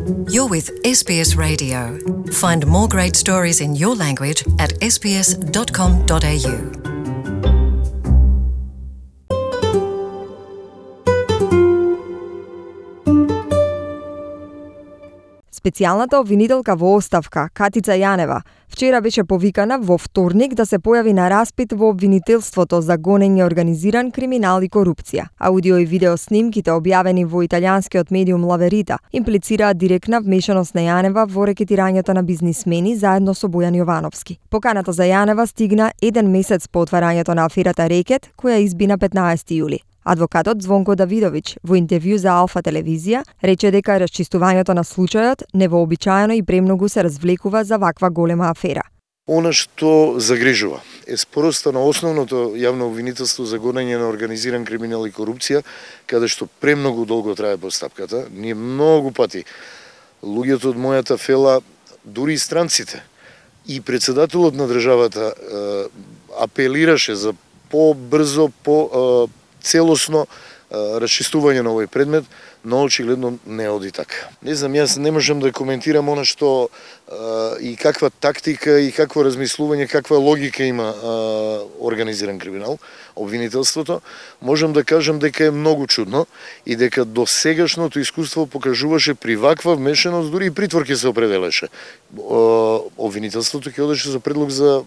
You're with SBS Radio. Find more great stories in your language at sbs.com.au. Специјалната обвинителка во оставка, Катица Јанева, вчера беше повикана во вторник да се појави на распит во обвинителството за гонење организиран криминал и корупција. Аудио и видео снимките објавени во италијанскиот медиум La Verità имплицираат директна вмешаност на Јанева во рекетирањето на бизнисмени заедно со Бојан Јовановски. Поканата за Јанева стигна еден месец по отварањето на аферата Рекет, која изби на 15 јули. Адвокатот Звонко Давидовиќ во интервју за Алфа телевизија рече дека расчистувањето на случајот невообичаено и премногу се развлекува за ваква голема афера. Она што загрижува е спороста на основното јавно обвинителство за гонење на организиран криминал и корупција, каде што премногу долго трае постапката. Ние многу пати, луѓето од мојата фела, дури и странците, и председателот на државата апелираше за побрзо, целосно расчистување на овој предмет, но очигледно не оди така. Не знам, јас не можам да коментирам она што и каква тактика и какво размислување, каква логика има организиран криминал, обвинителството. Можам да кажам дека е многу чудно и дека до сегашното искуство покажуваше при ваква вмешаност, дури и притвор ќе се определеше. Обвинителството ќе одеше за предлог за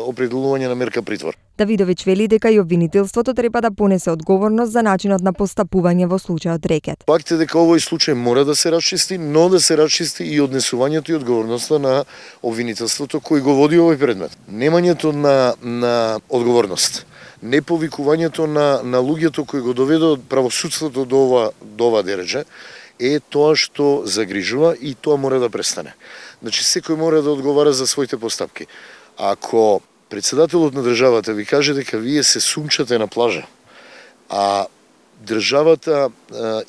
определување на мерка притвор. Давидовиќ вели дека и обвинителството треба да понесе одговорност за начинот на постапување во случајот Рекет. Факт е дека овој случај мора да се расчисти, но да се расчисти и однесувањето и одговорноста на обвинителството кој го води овој предмет. Немањето на одговорност, не повикувањето на луѓето кои го доведоа правосудството до ова дереже е тоа што загрижува и тоа мора да престане. Значи секој мора да одговара за своите постапки. Ако председателот на државата ви каже дека вие се сумчате на плажа, а државата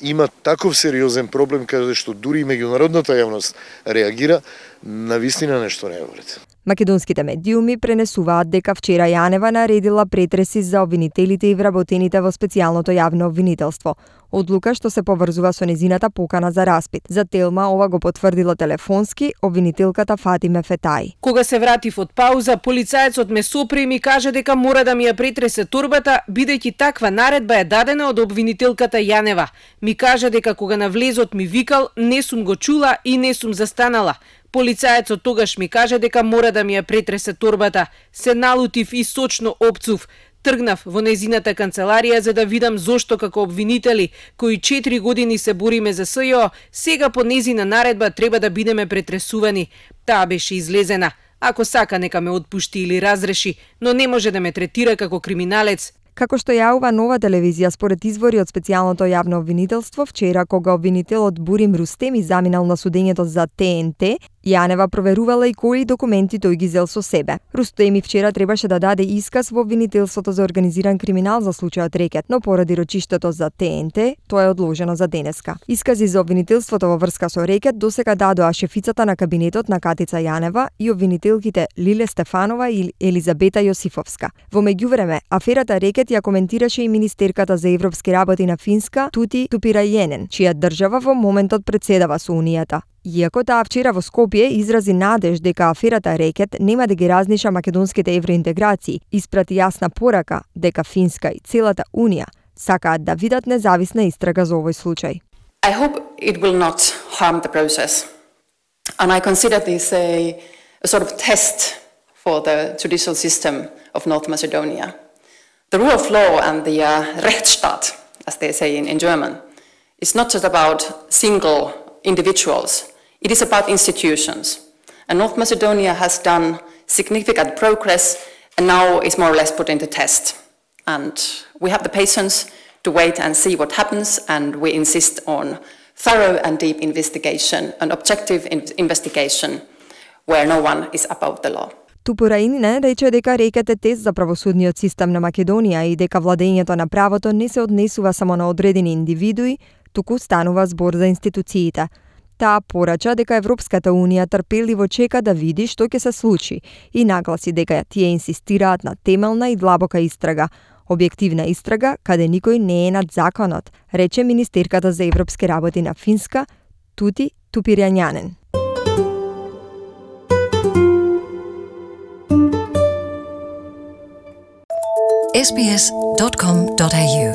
има таков сериозен проблем каде што дури и меѓународната јавност реагира, навистина нешто не е во ред. Македонските медиуми пренесуваат дека вчера Јанева наредила претреси за обвинителите и вработените во специјалното јавно обвинителство. Одлука што се поврзува со незината покана за распит. За Телма ова го потврдила телефонски обвинителката Фатиме Фетај. Кога се вратив од пауза, полицаецот ме сопре и ми каже дека мора да ми ја претресе торбата, бидејќи таква наредба е дадена од обвинителката Јанева. Ми каже дека кога на влезот ми викал, не сум го чула и не сум застанала. Полицаецот тогаш ми каже дека мора да ми ја претресе торбата. Се налутив и сочно опцув. Тргнав во незината канцеларија за да видам зошто како обвинители, кои 4 години се бориме за СЈО, сега по незина наредба треба да бидеме претресувани. Таа беше излезена. Ако сака нека ме отпушти или разреши, но не може да ме третира како криминалец. Како што јавува Нова телевизија според извори од специјалното јавно обвинителство, вчера кога обвинителот Бурим Рустеми заминал на судењето за ТНТ, Јанева проверувала и кои документи тој ги зел со себе. Рустеми вчера требаше да даде исказ во обвинителството за организиран криминал за случајот Рекет, но поради рочиштето за ТНТ, тоа е одложено за денеска. Искази за обвинителството во врска со Рекет досега дадоа шефицата на кабинетот на Катица Јанева и обвинителките Лиле Стефанова и Елизабета Јосифовска. Во меѓувреме, аферата Рекет ја коментираше и министерката за европски работи на Финска Тути Тупирајенен, чија држава во моментот председава со Унијата. Иако таа вчера во Скопје изрази надеж дека аферата Рекет нема да ги разниша македонските евроинтеграции, испрати јасна порака дека Финска и целата Унија сакаат да видат независна истрага за овој случај. I hope it will not harm the process. And I consider this a sort of test for the judicial system of North Macedonia. The rule of law and the Rechtsstaat, as they say in German, is not just about single individuals. It is about institutions. And North Macedonia has done significant progress and now is more or less put into test. And we have the patience to wait and see what happens, and we insist on thorough and deep investigation, an objective investigation where no one is above the law. Тупирајенен рече дека Рекет е тест за правосудниот систем на Македонија и дека владењето на правото не се однесува само на одредени индивидуи, туку станува збор за институциите. Таа порача дека Европската Унија трпеливо чека да види што ќе се случи и нагласи дека тие инсистираат на темелна и длабока истрага, објективна истрага каде никој не е над законот, рече министерката за европски работи на Финска Тути Тупирјањанен. sbs.com.au